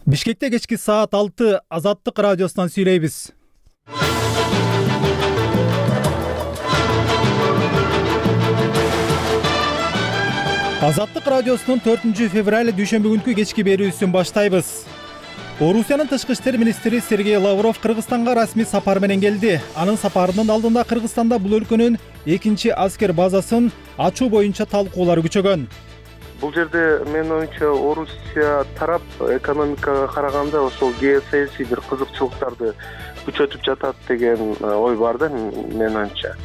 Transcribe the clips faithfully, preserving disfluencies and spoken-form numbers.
Бишкекте кечки саат алты Азаттык радиосунан сүйлөйбүз. Азаттык радиосунун төртүнчү февраль дүйшөмбү күнкү кечки берүүсүн баштайбыз. Орусиянын тышкы иштер министри Сергей Лавров Кыргызстанга расмий сапар менен келди. Анын сапарынын алдында Кыргызстанда бул өлкөнүн экинчи аскер базасын ачуу боюнча талкуулар күчөгөн. Бул жерде менин оюмча Орусия тарап экономикага караганда ошол геосаясий бир кызыкчылыктарды күчөтүп жатат деген ой бар да менин оюмча.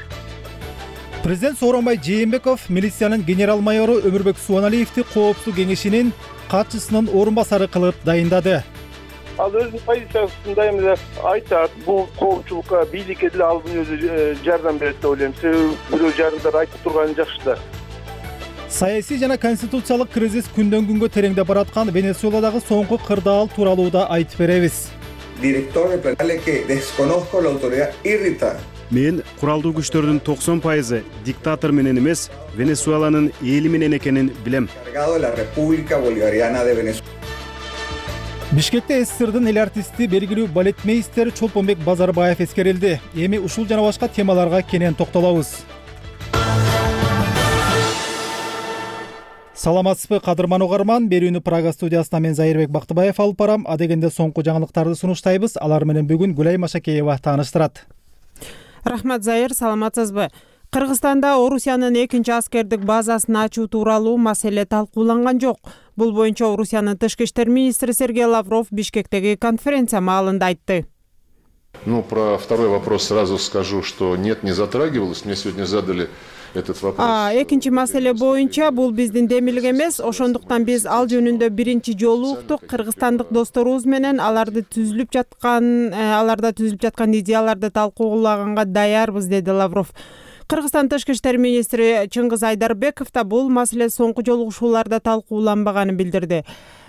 Президент Сооронбай Жээнбеков милициянын генерал-майору Өмүрбек Субаналиевди коопсуздук кеңешинин катчысынын орун басары кылып дайындады. Ал өзүнүн позициясында эми айтат, бул коопчулукка бийликке деле алдын өзү жардам берет деп ойлойм. Себеби бирөө жарандар айтып турганы жакшы да. Саясий жана конституциялык кризис күндөн күнгө тереңдеп бараткан Венесуэладагы соңку кырдаал тууралуу да айтып беребиз. Мен куралдуу күчтөрдүн токсон пайызы диктатор менен эмес, Венесуэланын эли менен экенин билем. Бишкекте СССРдын эл артисти, белгилүү балетмейстер Чолпонбек Базарбаев эскерилди. Эми ушул жана башка темаларга кенен токтолобуз. Саламатсызбы кадырман угарман, берүүнү Прага студиясына мен Зайырбек Бактыбаев алып барам. Адегенде соңку жаңылыктарды сунуштайбыз. Алар менен бүгүн Гүлай Машакеева тааныштырат. Рахмат Зайыр, саламатсызбы? Кыргызстанда Орусиянын экинчи аскердик базасын ачуу тууралуу маселе талкууланган жок. Бул боюнча Орусиянын тышкы иштер министри Сергей Лавров Бишкектеги конференция маалында айтты. Ну, про второй вопрос сразу скажу, что нет, не затрагивалось. Мне сегодня задали этот вопрос. А экинчи маселе боюнча бул биздин демилик эмес, ошондуктан биз ал жөнүндө биринчи жолу уктук. Кыргызстандык досторубуз менен аларды түзүлүп жаткан, аларда түзүлүп жаткан идеяларды талкуулаганга даярбыз, деди Лавров. Кыргызстан тышкы иштер министри Чыңгыз Айдарбеков да бул маселе соңку жолугушууларда талкууланбаганын билдирди.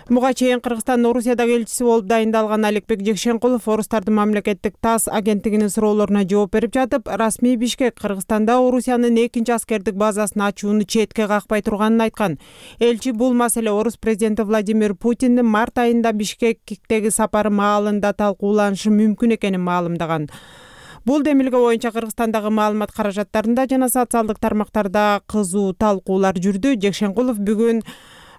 Буга чейин Кыргызстандын Орусиядагы элчиси болуп дайындалган Аликбек Жекшенкулов Орустардын мамлекеттик ТАСС агенттигинин суроолоруна жооп берип жатып, расмий Бишкек Кыргызстанда Орусиянын экинчи аскердик базасын ачууну четке какпай турганын айткан. Элчи бул маселе Орус президенти Владимир Путиндин март айында Бишкектеги сапары маалында талкууланышы мүмкүн экенин маалымдаган. Бул демилге боюнча Кыргызстандагы маалымат каражаттарында жана социалдык тармактарда кызуу талкуулар жүрдү. Жекшенкулов бүгүн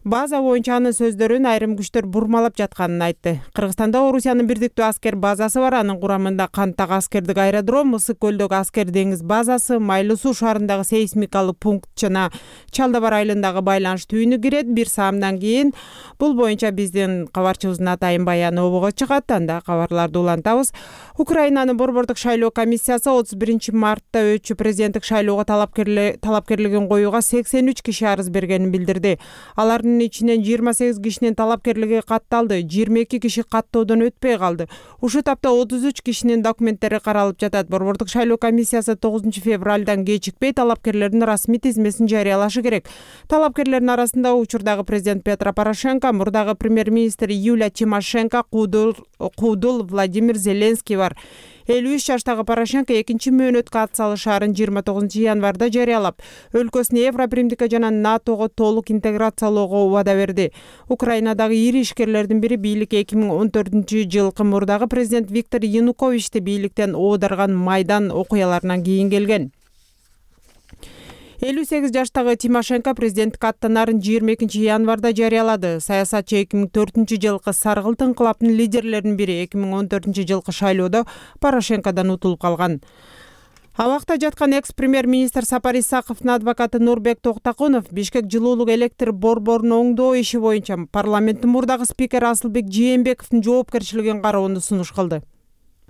база боюнча анын сөздөрүн айрым күчтөр бурмалап жатканын айтты. Кыргызстанда Орусиянын бирдиктүү аскер базасы бар. Анын курамында Канттагы аскердик аэродром, Ысык көлдөгү аскер деңиз базасы, Майлуу суу шаарындагы сейсмикалык пункт жана Чалдабар айылындагы байланыш түйүнү кирет. Бир саамдан кийин бул боюнча биздин кабарчыбыздын атайын баяны обого чыгат. Анда кабарларды улантабыз. Украинанын борбордук шайлоо комиссиясы отуз биринчи мартта өтчү президенттик шайлоого талапкерлигин коюуга сексен үч киши арыз бергенин билдирди. Алардын ичинен жыйырма сегиз кишинин талапкерлиги катталды, жыйырма эки киши каттоодон өтпөй калды. Ушул тапта отуз үч кишинин документтери каралып жатат. Борбордук шайлоо комиссиясы тогузунчу февралдан кечикпей талапкерлердин расмий тизмесин жарыялашы керек. Талапкерлердин арасында учурдагы президент Петро Порошенко, мурдагы премьер-министр Юлия Тимошенко, Куудул Владимир Зеленский бар. элүү үч жаштагы Порошенко экинчи мөөнөткө ат салышаарын жыйырма тогузунчу январда жарыялап, өлкөсүн Евробиримдикке жана НАТОго толук интеграциялоого убада берди. Украинадагы ири ишкерлердин бири бийликке эки миң он төртүнчү жылкы мурдагы президент Виктор Януковичти бийликтен оодарган Майдан окуяларынан кийин келген. элүү сегиз жаштагы Тимошенко президенттик аттанаарын жыйырма экинчи январда жарыялады. Саясатчы эки миң төртүнчү жылкы Саргылт инкылабынын лидерлеринин бири эки миң он төртүнчү жылкы шайлоодо Порошенкодон утулуп калган. Абакта жаткан экс-премьер-министр Сапар Исаковдун адвокаты Нурбек Токтакунов Бишкек жылуулук электр борборун оңдоо иши боюнча парламенттин мурдагы спикери Асылбек Жээнбековдун жоопкерчилигин кароону сунуш кылды.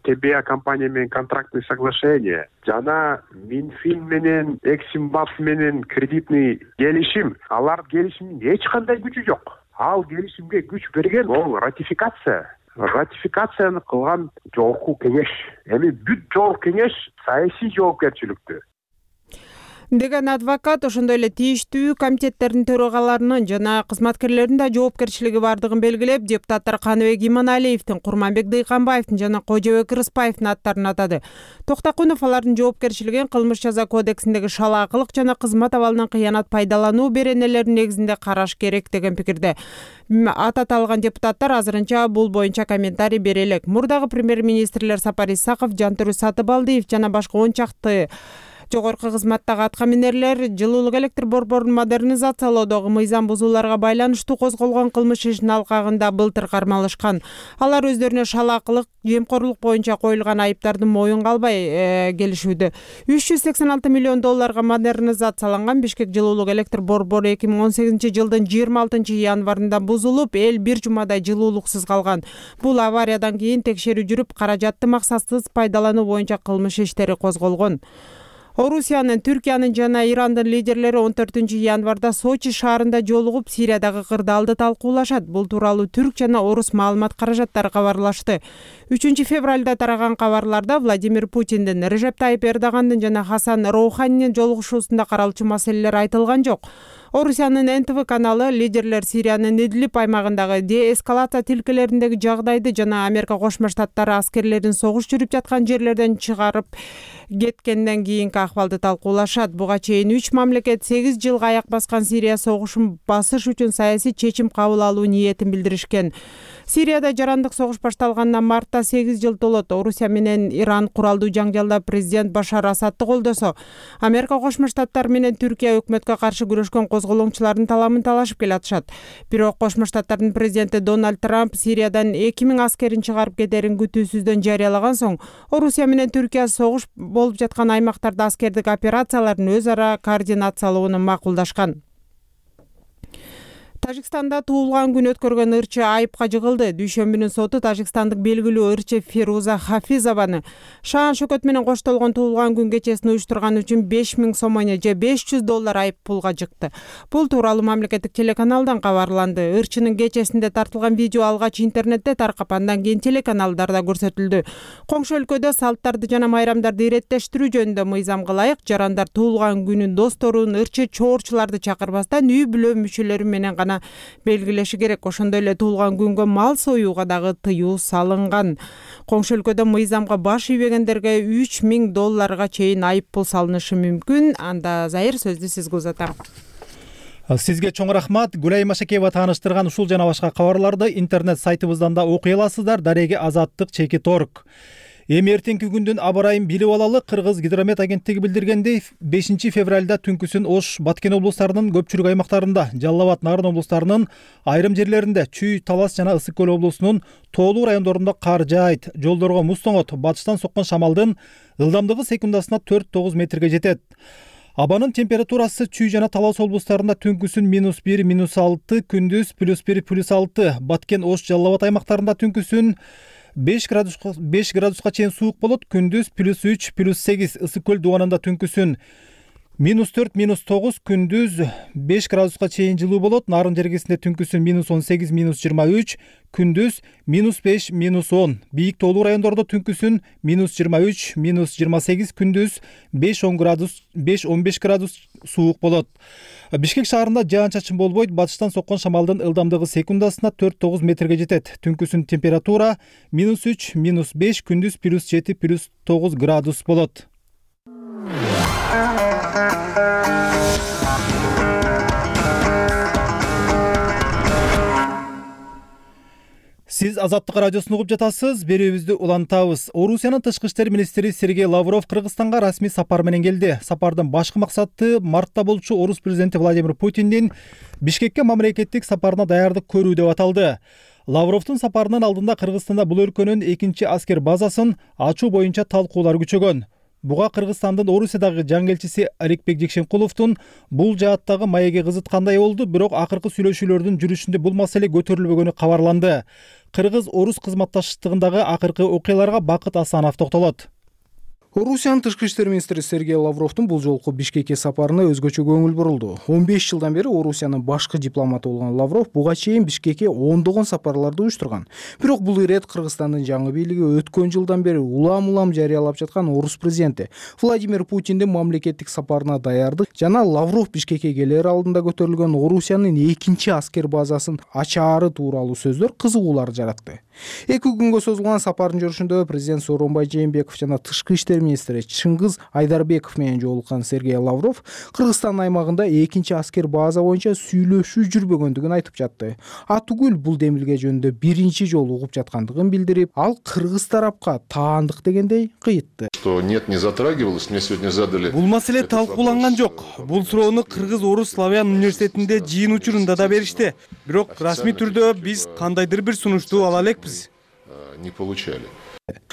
тэ бэ а компания менен контрактный соглашение жана Минфин менен Эксимбанк менен кредитный келишим, алар келишимдин эч кандай күчү жок. Ал келишимге күч берген ол ратификация. Ратификацияны кылган жогорку кеңеш. Эми бүт жогорку кеңеш саясий жоопкерчиликтүү. деген адвокат ошондой эле тийиштүү комитеттердин төрагаларынын жана кызматкерлеринин да жоопкерчилиги бардыгын белгилеп, депутаттар Каныбек Иманалиевдин, Курманбек Дыйканбаевдин жана Кожобек Рыспаевдин аттарын атады. Токтакунов алардын жоопкерчилигин кылмыш жаза кодексиндеги шалаакылык жана кызмат абалынан кыянат пайдалануу беренелеринин негизинде караш керек деген пикирде. Ат аталган депутаттар азырынча бул боюнча комментарий бере элек. Мурдагы премьер-министрлер Сапар Исаков, Жантүрү Сатыбалдиев жана башка он чакты жогорку кызматтагы аткаминерлер жылуулук электр борборун модернизациялоодогу мыйзам бузууларга байланыштуу козголгон кылмыш ишинин алкагында былтыр кармалышкан. Алар өздөрүнө шалаакылык, жемкорлук боюнча коюлган айыптарды моюнга албай келишүүдө. үч жүз сексен алты миллион долларга модернизацияланган Бишкек жылуулук электр борбору эки миң он сегизинчи жылдын жыйырма алтынчы январында бузулуп, эл бир жумадай жылуулуксуз калган. Бул авариядан кийин текшерүү жүрүп, каражатты максатсыз пайдалануу боюнча кылмыш иштери козголгон. Орусиянын, Түркиянын жана Ирандын лидерлери он төртүнчү январда Сочи шаарында жолугуп, Сириядагы кырдаалды талкуулашат. Бул тууралуу түрк жана орус маалымат каражаттары кабарлашты. үчүнчү февралда тараган кабарларда Владимир Путиндин, Режеп Тайип Эрдогандын жана Хасан Роуханинин жолугушуусунда каралчу маселелер айтылган жок. Орусиянын эн тэ вэ каналы лидерлер Сириянын Идлиб аймагындагы деэскалация тилкелериндеги жагдайды жана Америка Кошмо Штаттары аскерлерин согуш жүрүп жаткан жерлерден чыгарып кеткенден кийинки акыбалды талкуулашат. Буга чейин үч мамлекет сегиз жылга аяк баскан Сирия согушун басыш үчүн саясий чечим кабыл алуу ниетин билдиришкен. Сирияда жарандык согуш башталгандан мартта сегиз жыл толот. Орусия менен Иран куралдуу жаңжалда президент Башар Асадты колдосо, Америка Кошмо Штаттары менен Түркия өкмөткө каршы күрөшкөн козголоңчулардын таламын талашып келатышат. Бирок Кошмо Штаттардын президенти Дональд Трамп Сириядан эки миң аскерин чыгарып кетерин күтүүсүздөн жарыялаган соң, Орусия менен Түркия согуш болуп жаткан аймактарда аскердик операциялардын өз ара координациялоону макулдашкан. Тажикстанда туулган күн өткөргөн ырчы айыпка жыгылды. Дүйшөмбүнүн соту тажикстандык белгилүү ырчы Фируза Хафизованы шаан шөкөт менен коштолгон туулган күн кечесин уюштурган үчүн беш миң сомоне же беш жүз доллар айып пулга жыкты. Бул тууралуу мамлекеттик телеканалдан кабарланды. Ырчынын кечесинде тартылган видео алгач интернетте таркап, андан кийин телеканалдарда көрсөтүлдү. Коңшу өлкөдө салттарды жана майрамдарды иреттештирүү жөнүндө мыйзамга ылайык жарандар туулган күнүн досторун, ырчы чоорчуларды чакырбастан үй бүлө мүчөлөрү менен гана белгилеши керек. Ошондой эле туулган күнгө мал союуга дагы тыюу салынган. Коңшу өлкөдө мыйзамга баш ийбегендерге үч миң долларга чейин айып пул салынышы мүмкүн. Анда Зайыр, сөздү сизге узатам. Сизге чоң рахмат. Гүлай Машакеева тааныштырган ушул жана башка кабарларды интернет сайтыбыздан да окуй аласыздар. Дареги азаттык чекит точка орг. Эми эртеңки күндүн аба ырайын билип алалы. Кыргыз гидромет агенттиги билдиргендей, бешинчи февралда түнкүсүн Ош, Баткен облустарынын көпчүлүк аймактарында, Жалал Абад, Нарын облустарынын айрым жерлеринде, Чүй, Талас жана Ысык көл облусунун тоолуу райондорунда кар жаайт, жолдорго муз тоңот, батыштан соккон шамалдын ылдамдыгы секундасына төрт тогуз метрге жетет. Абанын температурасы Чүй жана Талас облустарында түнкүсүн минус бир, минус алты, күндүз плюс бир, плюс алты, Баткен, Ош, Жалал Абад аймактарында түнкүсүн беш градуска беш градуска чейин суук болот, күндүз плюс үч, плюс сегиз, Ысык көл дубанында түнкүсүн минус төрт, минус тогуз, күндүз беш градуска чейин жылуу болот. Нарын жергесинде түнкүсүн минус он сегиз, минус жыйырма үч, күндүз минус беш, минус он. Бийик тоолуу райондордо түнкүсүн минус жыйырма үч, минус жыйырма сегиз, күндүз беш он градус, беш он беш градус суук болот. Бишкек шаарында жаан чачын болбойт, батыштан соккон шамалдын ылдамдыгы секундасына төрт тогуз метрге жетет. Түнкүсүн температура минус үч, минус беш, күндүз плюс жети, плюс тогуз градус болот. Сиз Азаттык радиосун угуп жатасыз. Берүүбүздү улантабыз. Орусиянын тышкы иштер министри Сергей Лавров Кыргызстанга расмий сапар менен келди. Сапардын башкы максаты мартта болчу орус президенти Владимир Путиндин Бишкекке мамлекеттик сапарына даярдык көрүү деп аталды. Лавровдун сапарынын алдында Кыргызстанда бул өлкөнүн экинчи аскер базасын ачуу боюнча талкуулар күчөгөн. Буга Кыргызстандын Орусиядагы жаңы элчиси Аликбек Жекшенкуловдун бул жааттагы маеги кызыткандай болду, бирок акыркы сүйлөшүүлөрдүн жүрүшүндө бул маселе көтөрүлбөгөнү кабарланды. Кыргыз-орус кызматташтыгындагы акыркы окуяларга Бакыт Асанов токтолот. Орусиянын тышкы иштер министри Сергей Лавровдун бул жолку Бишкекке сапарына өзгөчө көңүл бурулду. он беш жылдан бери Орусиянын башкы дипломаты болгон Лавров буга чейин Бишкекке ондогон сапарларды уюштурган. Бирок бул ирет Кыргызстандын жаңы бийлиги өткөн жылдан бери улам-улам жарыялап жаткан орус президенти Владимир Путиндин мамлекеттик сапарына даярдык жана Лавров Бишкекке келер алдында көтөрүлгөн Орусиянын экинчи аскер базасын ачаары тууралуу сөздөр кызыгуулар жаратты. Эки күнгө созулган сапардын жүрүшүндө президент Сооронбай Жээнбеков жана тышкы иштер министри Чыңгыз Айдарбеков менен жолуккан Сергей Лавров Кыргызстан аймагында экинчи аскер база боюнча сүйлөшүү жүрбөгөндүгүн айтып жатты. Атүгүл бул демилге жөнүндө биринчи жолу угуп жаткандыгын билдирип, ал кыргыз тарапка таандык дегендей кыйытты. Что нет, не затрагивалось, мне сегодня задали. Бул маселе талкууланган жок. Бул суроону Кыргыз Орус Славян университетинде жыйын учурунда да беришти. Бирок расмий түрдө биз кандайдыр бир сунушту ала элекпиз. Не получали.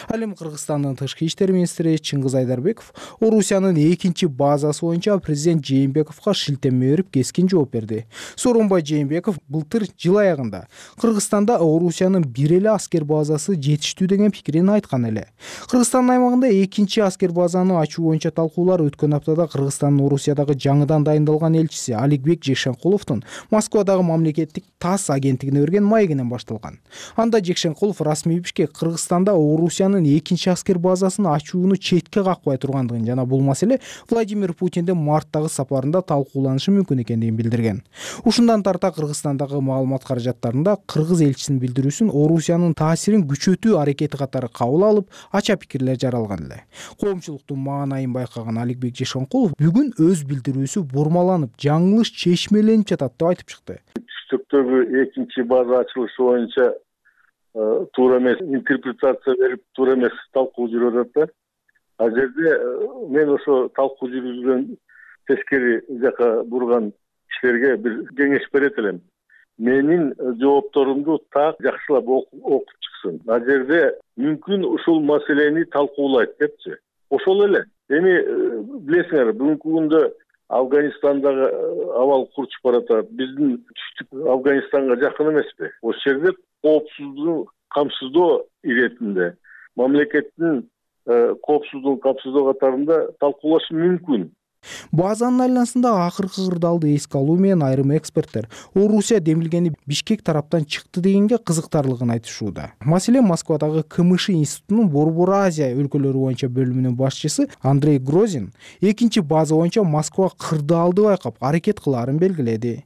Ал эми Кыргызстандын тышкы иштер министри Чыңгыз Айдарбеков Орусиянын экинчи базасы боюнча президент Жээнбековго шилтеме берип кескин жооп берди. Сооронбай Жээнбеков былтыр жыл аягында Кыргызстанда Орусиянын бир эле аскер базасы жетиштүү деген пикирин айткан эле. Кыргызстандын аймагында экинчи аскер базаны ачуу боюнча талкуулар өткөн аптада Кыргызстандын Орусиядагы жаңыдан дайындалган элчиси Аликбек Жекшенкуловдун Москвадагы мамлекеттик ТАСС агенттигине берген маегинен башталган. Анда Жекшенкулов расмий Бишкек Кыргызстанда Орусиянын экинчи аскер базасын ачууну четке какпай тургандыгын жана бул маселе Владимир Путиндин марттагы сапарында талкууланышы мүмкүн экендигин билдирген. Ушундан тарта Кыргызстандагы маалымат каражаттарында кыргыз элчисинин билдирүүсүн Орусиянын таасирин күчөтүү аракети катары кабыл алып, ача пикирлер жаралган эле. Коомчулуктун маанайын байкаган Аликбек Жекшенкулов бүгүн өз билдирүүсү бурмаланып, жаңылыш чечмеленип жатат деп айтып чыкты. Түштүктөгү экинчи база ачылышы боюнча туура эмес интерпретация берип, туура эмес талкуу жүрүп атат да. Ал жерде мен ошо талкуу жүргүзгөн тескери жака бурган кишилерге бир кеңеш берет элем. Менин жоопторумду так жакшылап окуп чыксын. Ал жерде мүмкүн ушул маселени талкуулайт депчи. Ошол эле. Эми билесиңер, бүгүнкү күндө Афганистандагы абал курчуп баратат. Биздин түштүк Афганистанга жакын эмеспи? Ошол жерде коопсуздугун камсыздоо иретинде мамлекеттин коопсуздугун камсыздоо катарында талкуулашы мүмкүн. Базанын айланасында акыркы кырдаалды эске алуу менен айрым эксперттер Орусия демилгени Бишкек тараптан чыкты дегенге кызыктарлыгын айтышууда. Маселен, Москвадагы КМШ институтунун Борбор Азия өлкөлөрү боюнча бөлүмүнүн башчысы Андрей Грозин экинчи база боюнча Москва кырдаалды байкап аракет кылаарын белгиледи.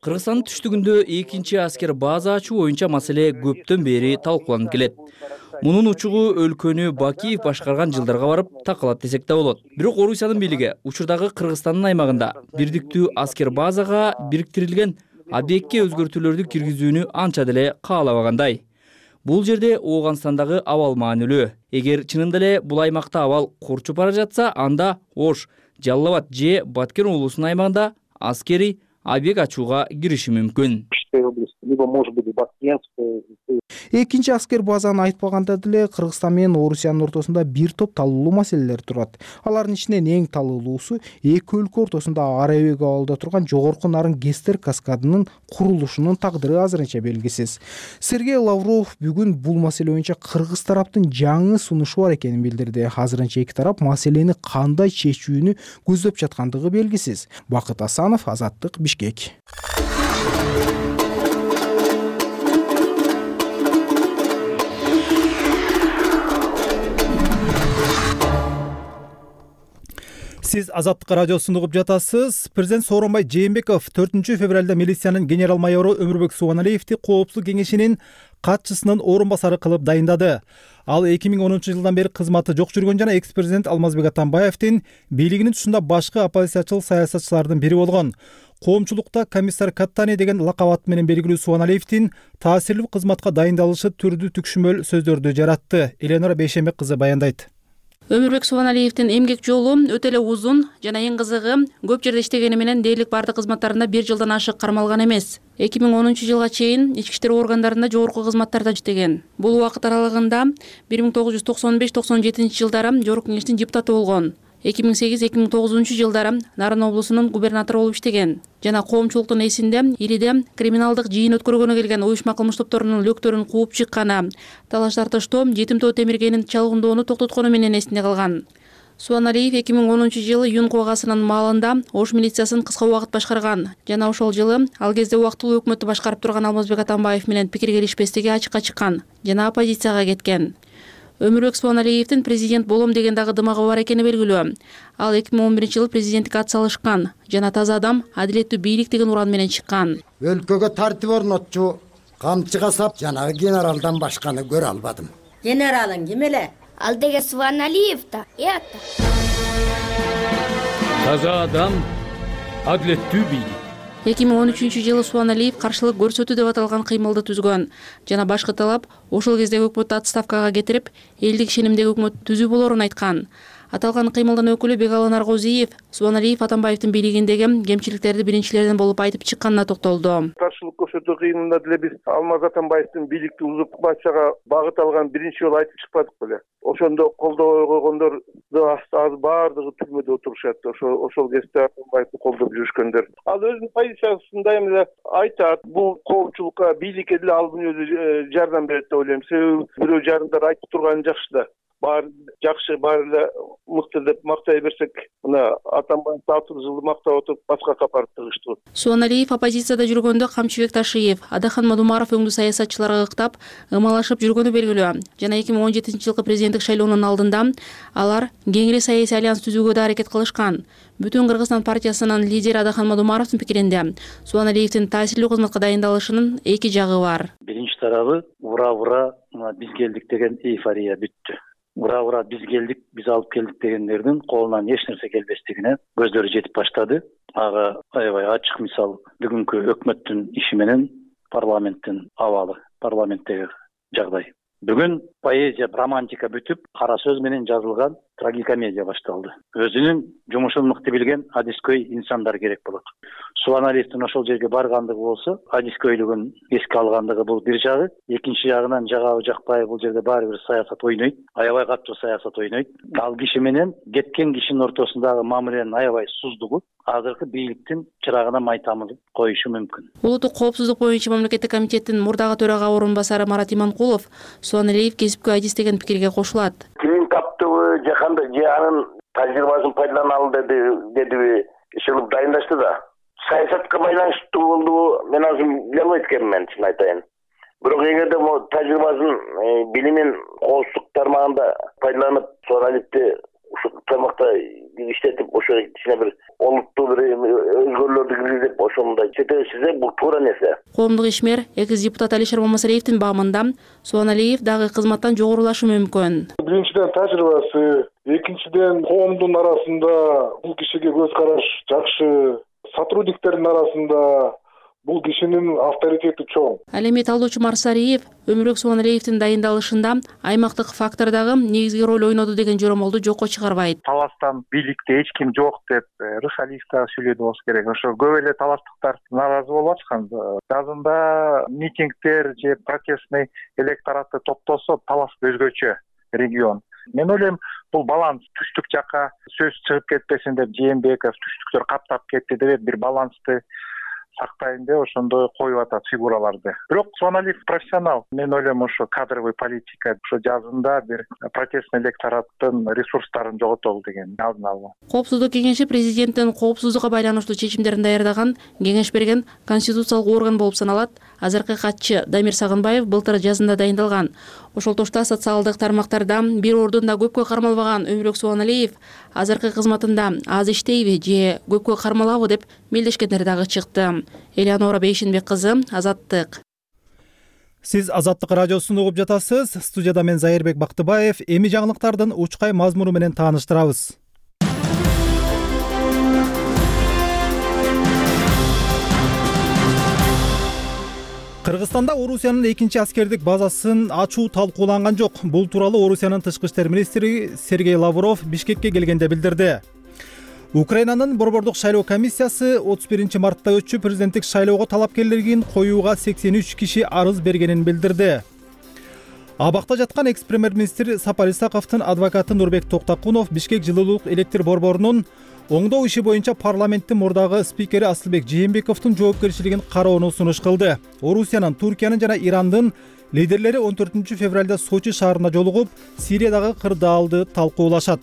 Кыргызстандын түштүгүндө экинчи аскер база ачуу боюнча маселе көптөн бери талкууланып келет. Мунун учугу өлкөнү Бакиев башкарган жылдарга барып такалат десек да болот. Бирок Орусиянын бийлиги учурдагы Кыргызстандын аймагында бирдиктүү аскер базага бириктирилген объектке өзгөртүүлөрдү киргизүүнү анча деле каалабагандай. Бул жерде Ооганстандагы абал маанилүү. Эгер чынында эле бул аймакта абал курчуп бара жатса, анда Ош, Жалал абад же Баткен облусунун аймагында аскери объект ачууга кириши мүмкүн. Экинчи аскер базаны айтпаганда деле Кыргызстан менен Орусиянын ортосунда бир топ талуулуу маселелер турат. Алардын ичинен эң талуулуусу эки өлкө ортосунда Арабек абалда турган жогорку нарын Гестер каскадынын курулушунун тагдыры азырынча белгисиз. Сергей Лавров бүгүн бул маселе боюнча кыргыз тараптын жаңы сунушу бар экенин билдирди. Азырынча эки тарап маселени кандай чечүүнү көздөп жаткандыгы белгисиз. Бакыт Асанов, Азаттык, Бишкек. Сиз Азаттык радиосун угуп жатасыз. Президент Сооронбай Жээнбеков төртүнчү февралда милициянын генерал майору Өмүрбек Субаналиевди коопсуздук кеңешинин катчысынын орун басары кылып дайындады. Ал эки миң онунчу жылдан бери кызматы жок жүргөн жана экс-президент Алмазбек Атамбаевдин бийлигинин тушунда башкы оппозициячыл саясатчылардын бири болгон. Коомчулукта комиссар Каттани деген лакап ат менен белгилүү Субаналиевдин таасирлүү кызматка дайындалышы түрдүү түкшүмөл сөздөрдү жаратты. Эленора Бейшембек кызы баяндайт. Өмүрбек Субаналиевдин эмгек жолу өтө эле узун жана эң кызыгы көп жерде иштегени менен дээрлик бардык кызматтарында бир жылдан ашык кармалган эмес. эки миң онунчу жылга чейин ички иштер органдарында жогорку кызматтарда иштеген. Бул убакыт аралыгында бир миң тогуз жүз токсон беш токсон жетинчи жылдары Жогорку кеңештин депутаты болгон. эки миң сегиз эки миң тогузунчу жылдары Нарын облусунун губернатору болуп иштеген жана коомчулуктун эсинде Ириде криминалдык жыйын өткөргөнү келген уюшма кылмыш топторунун лөктөрүн кууп чыкканы, талаш тартыштоо, жетим тоо темиргенин чалгындоону токтоткону менен эсинде калган. Субаналиев эки миң онунчу жылы Юн куугасынын маалында Ош милициясын кыска убакыт башкарган жана ошол жылы ал кезде убактылуу өкмөттү башкарып турган Алмазбек Атамбаев менен пикир келишпестиги ачыкка чыккан жана оппозицияга кеткен. Өмүрбек Субаналиевдин президент болом деген дагы дымагы бар экени белгилүү. Ал эки миң он биринчи жылы президенттикке ат салышкан жана таза адам, адилеттүү бийлик деген уран менен чыккан. Өлкөгө тартип орнотчу камчыга сап жанагы генералдан башканы көрө албадым. Генералың ким эле? Ал деге Субаналиев да. Эта. Таза адам, адилеттүү бийлик. эки миң он үчүнчү жылы Субаналиев каршылык көрсөтүү деп аталган кыймылды түзгөн жана башкы талап ошол кездеги өкмөттү отставкага кетирип, элдик ишенимдеги өкмөт түзүү болорун айткан. Аталган кыймылдын өкүлү Бегалан Аргозиев Субаналиев Атамбаевдин бийлигиндеги кемчиликтерди биринчилерден болуп айтып чыкканына токтолду. Каршылык көрсөтүү кыймылында деле биз Алмаз Атамбаевдин бийликти узуп башчага багыт алган биринчи жолу айтып чыкпадык беле. Ошондо колдобой койгондорду азыр баардыгы түрмөдө отурушат. Ошол ошол кезде Атамбаевди колдоп жүрүшкөндөр. Ал өзүнүн позициясында эми айтат, бул коомчулукка, бийликке деле ал өзү жардам берет деп ойлойм. Себеби бирөө жарандар айтып турганы жакшы да. Баары жакшы, баары эле мыкты деп мактай берсек, мына Атамбаевди алты жылды мактап отуруп башка капарып тыгыштуу. Субаналиев оппозицияда жүргөндө Камчыбек Ташиев, Адахан Мадумаров өңдүү саясатчыларга ыктап, ымалашып жүргөнү белгилүү. Жана эки миң он жетинчи жылкы президенттик шайлоонун алдында алар кеңири саясий альянс түзүүгө да аракет кылышкан. Бүтүн Кыргызстан партиясынын лидери Адахан Мадумаровдун пикиринде Субаналиевдин таасирлүү кызматка дайындалышынын эки жагы бар. Биринчи тарабы ура-ура биз келдик деген эйфория бүттү. Ура-ура биз келдик, биз алып келдик дегендердин колунан эч нерсе келбестигине көздөрү жетип баштады. Ага аябай ачык мисал бүгүнкү өкмөттүн иши менен парламенттин абалы, парламенттеги жагдай. Бүгүн поэзия, романтика бүтүп, кара сөз менен жазылган трагикомедия башталды. Өзүнүн жумушун мыкты билген адискөй инсандар керек болот. Субаналиевдин ошол жерге баргандыгы болсо, адискөйлүгүн эске алгандыгы бул бир жагы, экинчи жагынан жагабы жакпайбы бул жерде баары бир саясат ойнойт, аябай катуу саясат ойнойт. Ал киши менен кеткен кишинин ортосундагы мамиленин аябай суздугу азыркы бийликтин чырагына май тамызып коюшу мүмкүн. Улуттук коопсуздук боюнча мамлекеттик комитеттин мурдагы төрага орун басары Марат Иманкулов Субаналиев кесипкөй адис деген пикирге кошулат. Ким таптыбы, же кандай, же анын тажрыйбасын пайдалана алды дедиби, ишилип дайындашты да. Саясатка байланыштуу болду, мен азыр биле албайт экенмин, чын айтайын. Бирок эгерде могу тажрыйбасын, билимин коопсуздук тармагында пайдаланып, Субаналиевди ушул тармакта иштетип, ошо кичине бир олуттуу бир өзгөрүүлөрдү киргизип, ошондой четелешсе бул туура нерсе. Коомдук ишмер, экс депутат Алишер Мамасалиевдин баамында Субаналиев дагы кызматтан жогорулашы мүмкүн. Биринчиден тажрыйбасы, экинчиден коомдун арасында бул кишиге көз караш жакшы, сотрудниктердин арасында бул кишинин авторитети чоң. Ал эми талдоочу Марсариев Өмүрбек Субаналиевдин дайындалышында аймактык фактор дагы негизги роль ойноду деген жоромолду жокко чыгарбайт. Таластан бийликте эч ким жок деп Рышалиев дагы сүйлөдү болсо керек. Ошо көп эле таластыктар нааразы болуп аткан. Жазында митингдер же протестный электоратты топтосо талас өзгөчө регион. Мен ойлойм, бул баланс түштүк жакка сөз чыгып кетпесин деп Жээнбеков түштүктөр каптап кетти деп бир балансты сактайын деп ошондой коюп атат фигураларды. Бирок Субаналиев профессионал. Мен ойлойм, ошо кадровый политика, ошо жазында бир протестный электораттын ресурстарын жоготолу деген алдын алуу. Коопсуздук кеңеши президенттин коопсуздукка байланыштуу чечимдерин даярдаган, кеңеш берген конституциялык орган болуп саналат. Азыркы катчы Дамир Сагынбаев былтыр жазында дайындалган. Ошол тошто социалдык тармактарда бир ордунда көпкө кармалбаган Өмүрбек Субаналиев азыркы кызматында аз иштейби же көпкө кармалабы деп мелдешкендер дагы чыкты. Элеонора Бейшенбек кызы, Азаттык. Сиз Азаттык радиосун угуп жатасыз. Студияда мен Зайырбек Бактыбаев. Эми жаңылыктардын учкай мазмуну менен тааныштырабыз. Кыргызстанда Орусиянын экинчи аскердик базасын ачуу талкууланган жок. Бул тууралуу Орусиянын тышкы иштер министри Сергей Лавров Бишкекке келгенде билдирди. Украинанын борбордук шайлоо комиссиясы отуз биринчи мартта өтчү президенттик шайлоого талапкерлерин коюуга сексен үч киши арыз бергенин билдирди. Абакта жаткан экс премьер-министр Сапар Исаковдун адвокаты Нурбек Токтакунов Бишкек жылуулук электр борборунун оңдоо иши боюнча парламенттин мурдагы спикери Асылбек Жээнбековдун жоопкерчилигин кароону сунуш кылды. Орусиянын, Туркиянын жана Ирандын лидерлери он төртүнчү февралда Сочи шаарында жолугуп, Сириядагы кырдаалды талкуулашат.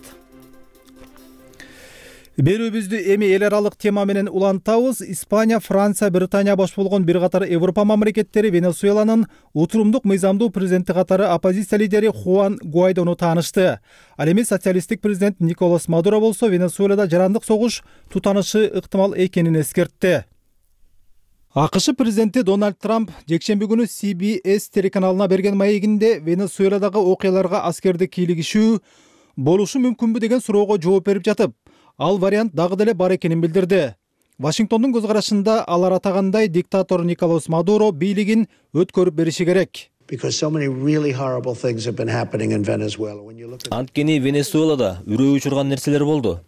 Берүүбүздү эми эл аралык тема менен улантабыз. Испания, Франция, Британия баш болгон бир катар Европа мамлекеттери Венесуэланын утурумдук мыйзамдуу президенти катары оппозиция лидери Хуан Гуайдону таанышты. Ал эми социалисттик президент Николас Мадуро болсо Венесуэлада жарандык согуш тутанышы ыктымал экенин эскертти. АКШ президенти Дональд Трамп жекшемби күнү Си Би Эс телеканалына берген маегинде Венесуэладагы окуяларга аскерди кийлигишүү болушу мүмкүнбү деген суроого жооп берип жатып, ал вариант дагы деле бар экенин билдирди. Вашингтондун көз карашында алар атагандай диктатор Николас Мадуро бийлигин өткөрүп бериши керек. Анткени Венесуэлада үрөө учурган нерселер болду.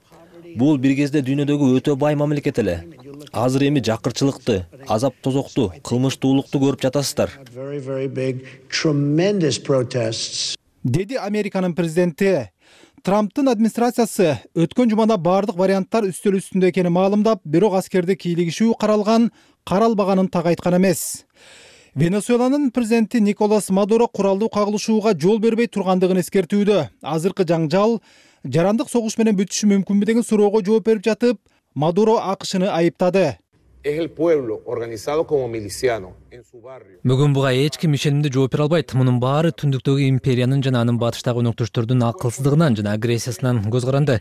Бул бир кезде дүйнөдөгү өтө бай мамлекет эле. Азыр эми жакырчылыкты, азап тозокту, кылмыштуулукту көрүп жатасыздар. Деди Американын президенти. Трамптын администрациясы өткөн жумада бардык варианттар үстөл үстүндө экенин маалымдап, бирок аскерди кийлигишүү каралган, каралбаганын так айткан эмес. Венесуэланын президенти Николас Мадуро куралдуу кагылышууга жол бербей тургандыгын эскертүүдө. Азыркы жаңжал жарандык согуш менен бүтүшү мүмкүнбү деген суроого жооп берип жатып, Мадуро АКШны айыптады. Бүгүн буга эч ким ишенимдүү жооп бере албайт. Мунун баары түндүктөгү империянын жана анын батыштагы өнөктөштөрдүн акылсыздыгынан жана агрессиясынан көз каранды.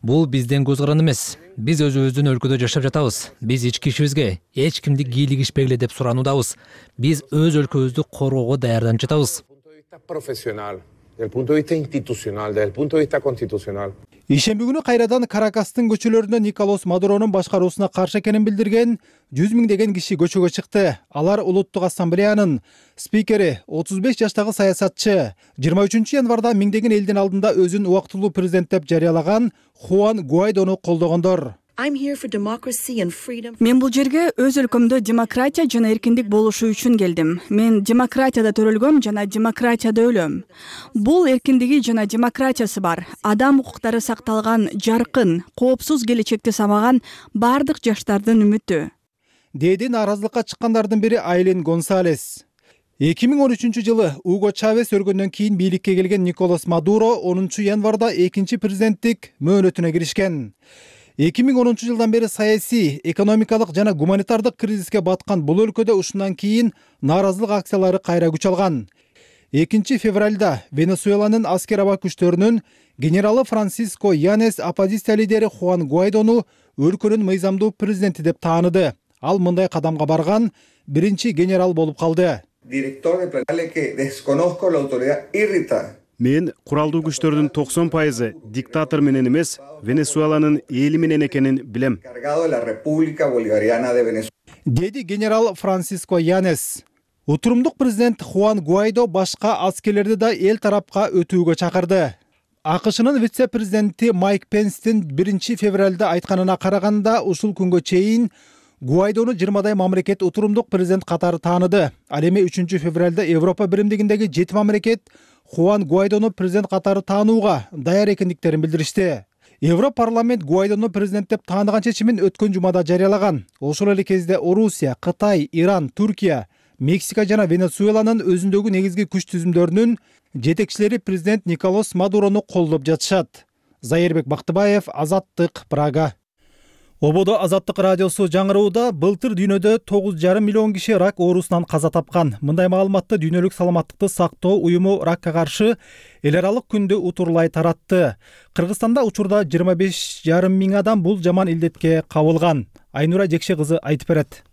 Бул бизден көз каранды эмес. Биз өзүбүздүн өлкөдө жашап жатабыз. Биз ички ишибизге эч кимди кийлигишпегиле деп сурануудабыз. Биз өз өлкөбүздү коргоого даярданып жатабыз. Ишемби күнү кайрадан Каракастын көчөлөрүндө Николас Мадуронун башкаруусуна каршы экенин билдирген жүз миңдеген киши көчөгө чыкты. Алар Улуттук ассамблеянын спикери, отуз беш жаштагы саясатчы, жыйырма үчүнчү январда миңдеген элдин алдында өзүн убактылуу президент деп жарыялаган Хуан Гуайдону колдогондор. Мен бул жерге өз өлкөмдө демократия жана эркиндик болушу үчүн келдим. Мен демократияда төрөлгөм жана демократияда өлөм. Бул эркиндиги жана демократиясы бар. Адам укуктары сакталган, жаркын, коопсуз келечекти самаган бардык жаштардын үмүтү. Деди нааразылыкка чыккандардын бири Айлин Гонсалес. эки миң он үчүнчү жылы Уго Чавес өргөндөн кийин бийликке келген Николас Мадуро онунчу январда экинчи президенттик мөөнөтүнө киришкен. эки миң онунчу жылдан бери саясий, экономикалык жана гуманитардык кризиске баткан бул өлкөдө ушундан кийин нааразылык акциялары кайра күч алган. экинчи февралда Венесуэланын аскер аба күчтөрүнүн генералы Франсиско Янес оппозиция лидери Хуан Гуайдону өлкөнүн мыйзамдуу президенти деп тааныды. Ал мындай кадамга барган биринчи генерал болуп калды. Мен куралдуу күчтөрдүн токсон пайызы диктатор менен эмес, Венесуэланын эли менен экенин билем. Деди генерал Франсиско Янес. Утурумдук президент Хуан Гуайдо башка аскерлерди да эл тарапка өтүүгө чакырды. АКШнын вице-президенти Майк Пенстин биринчи февралда айтканына караганда, ушул күнгө чейин Гуайдону жыйырмадай мамлекет утурумдук президент катары тааныды. Ал эми үчүнчү февралда Европа биримдигиндеги жети мамлекет Хуан Гуайдону президент катары таанууга даяр экендиктерин билдиришти. Европарламент Гуайдону президент деп тааныган чечимин өткөн жумада жарыялаган. Ошол эле кезде Орусия, Кытай, Иран, Туркия, Мексика жана Венесуэланын өзүндөгү негизги күч түзүмдөрүнүн жетекчилери президент Николас Мадурону колдоп жатышат. Зайырбек Бактыбаев, Азаттык, Прага. Ободо Азаттык радиосу жаңырууда былтыр дүйнөдө тогуз жарым миллион киши рак оорусунан каза тапкан. Мындай маалыматты Дүйнөлүк саламаттыкты сактоо уюму ракка каршы эл аралык күндү утурлай таратты. Кыргызстанда учурда жыйырма беш жарым миң адам бул жаман илдетке кабылган. Айнура Жекше кызы айтып берет.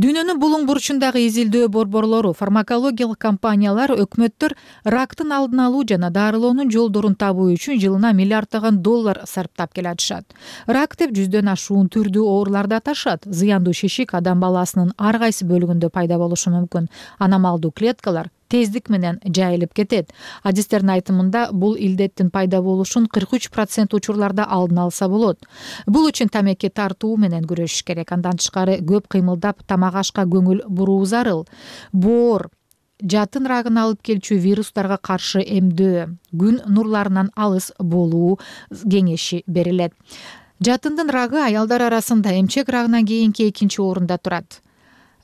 Дүйнөнүн булуң бурчундагы изилдөө борборлору, фармакологиялык компаниялар өкмөттөр рактын алдын алуу жана дарылоонун жолдорун табуу үчүн жылына миллиарддаган доллар сарптап келатышат. Рак деп жүздөн ашуун түрдүү ооруларды аташат. Зыяндуу шишик адам баласынын ар кайсы бөлүгүндө пайда болушу мүмкүн. Аномалдуу клеткалар тездик менен жайылып кетет. Адистердин айтымында бул илдеттин пайда болушун кырк үч процент учурларда алдын алса болот. Бул үчүн тамеки тартуу менен күрөшүш керек. Андан тышкары көп кыймылдап тамак ашка көңүл буруу зарыл. Боор, жатын рагын алып келчү вирустарга каршы эмдөө, күн нурларынан алыс болуу кеңеши берилет. Жатындын рагы аялдар арасында эмчек рагынан кийинки экинчи орунда турат.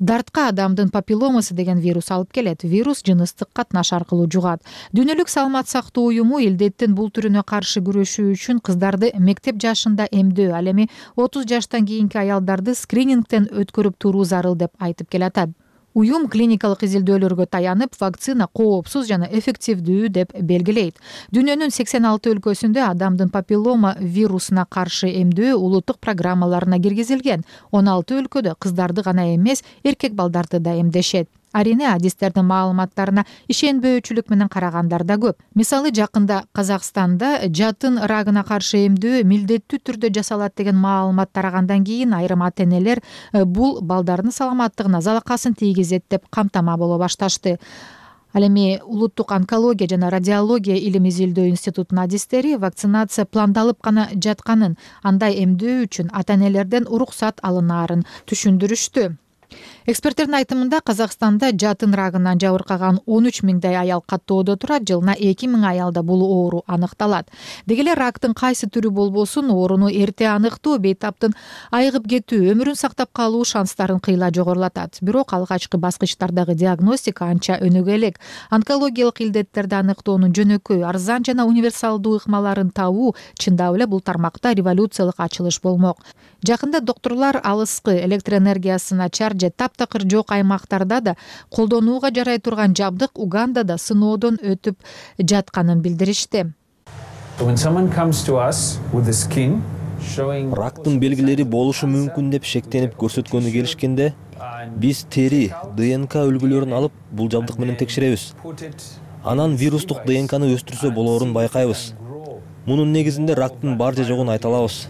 Дартка адамдын папилломасы деген вирус алып келет. Вирус жыныстык катнаш аркылуу жугат. Дүйнөлүк саламат сактоо уюму илдеттин бул түрүнө каршы күрөшүү үчүн кыздарды мектеп жашында эмдөө, ал эми отуз жаштан кийинки аялдарды скринингден өткөрүп туруу зарыл деп айтып келатат. Уюм клиникалык изилдөөлөргө таянып, вакцина коопсуз жана эффективдүү деп белгилейт. Дүйнөнүн сексен алты өлкөсүндө адамдын папиллома вирусуна каршы эмдөө улуттук программаларына киргизилген. он алты өлкөдө кыздарды гана эмес, эркек балдарды да эмдешет. Арине адистердин маалыматтарына ишенбөөчүлүк менен карагандар да көп. Мисалы, жакында Казакстанда жатын рагына каршы эмдөө милдеттүү түрдө жасалат деген маалымат тарагандан кийин айрым ата-энелер бул балдардын саламаттыгына залакасын тийгизет деп камтама боло башташты. Ал эми улуттук онкология жана радиология илим изилдөө институтунун адистери вакцинация пландалып гана жатканын, андай эмдөө үчүн ата-энелерден уруксат алынаарын түшүндүрүштү. Эксперттердин айтымында Казакстанда жатын рагынан жабыркаган он үч миңдей аял каттоодо турат, жылына эки миң аялда бул оору аныкталат. Деги эле рактын кайсы түрү болбосун, ооруну эрте аныктоо бейтаптын айыгып кетүү, өмүрүн сактап калуу шанстарын кыйла жогорулатат. Бирок алгачкы баскычтардагы диагностика анча өнүгө элек. Онкологиялык илдеттерди аныктоонун жөнөкөй, арзан жана универсалдуу ыкмаларын табуу чындап эле бул тармакта революциялык ачылыш болмок. Жакында докторлор алыскы электр энергиясы начар же таптакыр жок аймактарда да колдонууга жарай турган жабдык Угандада сыноодон өтүп жатканын билдиришти. Рактын белгилери болушу мүмкүн деп шектенип көрсөткөнү келишкенде, биз тери, ДНК үлгүлөрүн алып, бул жабдык менен текшеребиз. Анан вирустук ДНКны өстүрсө болоорун байкайбыз. Мунун негизинде рактын бар же жогун айта алабыз.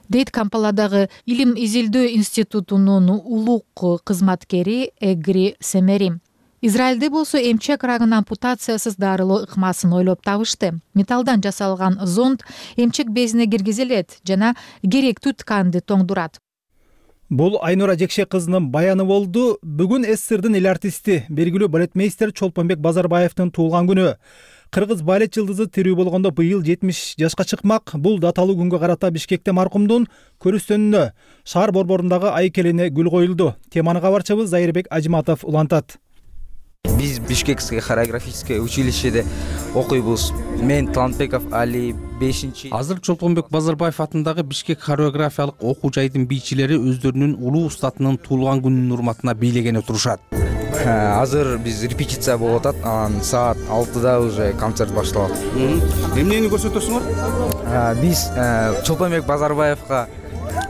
Дейт Кампаладагы илим изилдөө институтунун улук кызматкери Эгри Семери. Израилде болсо эмчек рагын ампутациясыз дарылоо ыкмасын ойлоп табышты. Металлдан жасалган зонд эмчек безине киргизилет жана керектүү тканды тоңдурат. Бул Айнура Жекше кызынын баяны болду. Бүгүн СССРдин эл артисти, белгилүү балетмейстер Чолпонбек Базарбаевдин туулган күнү. Кыргыз балет жылдызы тирүү болгондо быйыл жетимиш жашка чыкмак. Бул даталуу күнгө карата Бишкекте маркумдун көрүстөнүнө шаар борборундагы айкелине гүл коюлду. Теманы кабарчыбыз Зайырбек Ажиматов улантат. Биз Бишкекское хореографическое училищеде окуйбуз. Мен Талантбеков Али бешинчи. Азыр Чолпонбек Базарбаев атындагы Бишкек хореографиялык окуу жайдын бийчилери өздөрүнүн улуу устатынын туулган күнүнүн урматына бийлеген отурушат. Азыр биз репетиция болуп атат. Анан саат алтыда уже концерт башталат. Эмнени көрсөтөсүңөр? Биз Чолпонбек Базарбаевга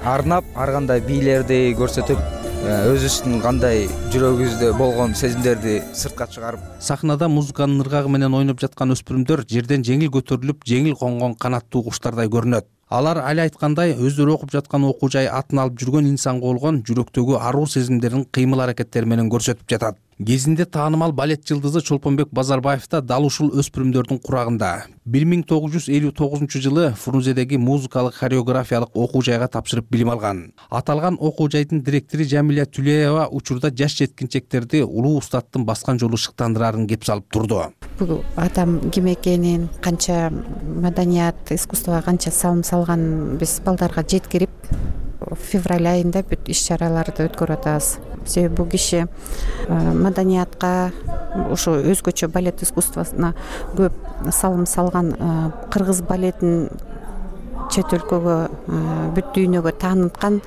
арнап, ар кандай бийлерди көрсөтүп, өзүбүздүн кандай жүрөгүбүздө болгон сезимдерди сыртка чыгарып. Сахнада музыканын ыргагы менен ойноп жаткан өспүрүмдөр жерден жеңил көтөрүлүп, жеңил конгон канаттуу куштардай көрүнөт. Алар али айткандай өздөрү окуп жаткан окуу жай атын алып жүргөн инсанга болгон жүрөктөгү аруу сезимдерин кыймыл аракеттери менен көрсөтүп жатат. Кезинде таанымал балет жылдызы Чолпонбек Базарбаев да дал ушул өспүрүмдөрдүн курагында. бир миң тогуз жүз элүү тогузунчу жылы Фрунзедеги музыкалык хореографиялык окуу жайга тапшырып билим алган. Аталган окуу жайдын директори Жамиля Түлеева учурда жаш жеткинчектерди улуу устаттын баскан жолу шыктандырарын кеп салып турду. Бул адам ким экенин, канча маданият, искусствого канча салым салган биз балдарга жеткирип, февраль айында бүт иш-чараларды өткөрүп атабыз. Себеби бул киши маданиятка, ушу өзгөчө балет искусствосуна көп салым салган, кыргыз балетин чет өлкөгө, бүт дүйнөгө тааныткан.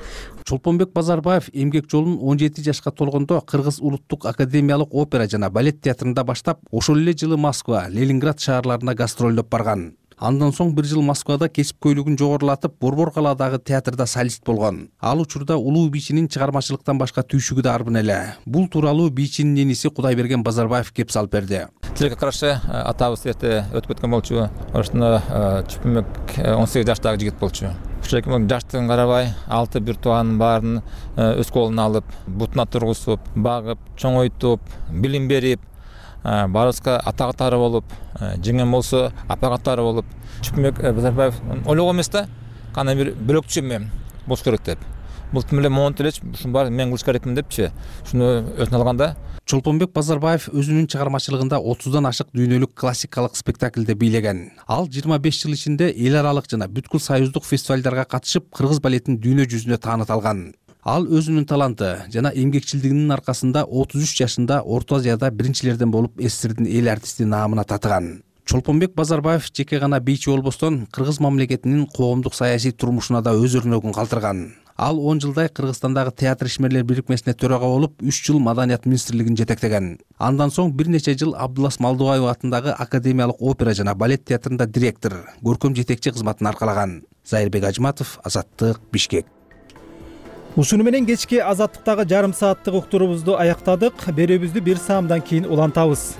Чолпонбек Базарбаев эмгек жолун он жети жашка толгондо Кыргыз улуттук академиялык опера жана балет театрында баштап, ошол эле жылы Москва, Ленинград шаарларына гастролдоп барган. Андан соң бир жыл Москвада кесипкөйлүгүн жогорулатып, Борбор калаадагы театрда солист болгон. Ал учурда улуу бийчинин чыгармачылыктан башка түйшүгү да арбын эле. Бул тууралуу бийчинин эниси Кудайберген Базарбаев кеп салып берди. Тилекке каршы атабыз эрте өтүп кеткен болчу. Ошондо Чолпонбек он сегиз жаштагы жигит болчу. Ошол жаштыгын карабай, алты бир тууганын баарын өз колуна алып, бутуна тургузуп, багып, чоңойтуп, билим берип, баарыбызга атактары болуп, жеңем болсо апагаттары болуп, Чолпонбек Базарбаев ойлогон эмес да, кандай бир бөлөкчү эме болуш керек деп. бул тим эле монтип элечи ушунун баарын мен кылыш керекмин депчи ушуну өзүнө алганда. Чолпонбек Базарбаев өзүнүн чыгармачылыгында отуздан ашык дүйнөлүк классикалык спектакльде бийлеген. Ал жыйырма беш жыл ичинде эл аралык жана бүткүл союздук фестивалдарга катышып, кыргыз балетин дүйнө жүзүнө тааныта алган. Ал өзүнүн таланты жана эмгекчилдигинин аркасында отуз үч жашында Орто Азияда биринчилерден болуп СССРдин эл артисти наамына татыган. Чолпонбек Базарбаев жеке гана бийчи болбостон, кыргыз мамлекетинин коомдук саясий турмушуна да өз өрнөгүн калтырган. Ал он жылдай Кыргызстандагы театр ишмерлер бирикмесине төрага болуп, үч жыл Маданият министрлигин жетектеген. Андан соң бир нече жыл Абдулас Малдыбаев атындагы Академиялык опера жана балет театрында директор, көркөм жетекчи кызматын аркалаган. Зайырбек Ажматов, Азаттык, Бишкек. Ушуну менен кечки Азаттыктагы жарым сааттык уктуруубузду аяктадык. Берүүбүздү бир саамдан кийин улантабыз.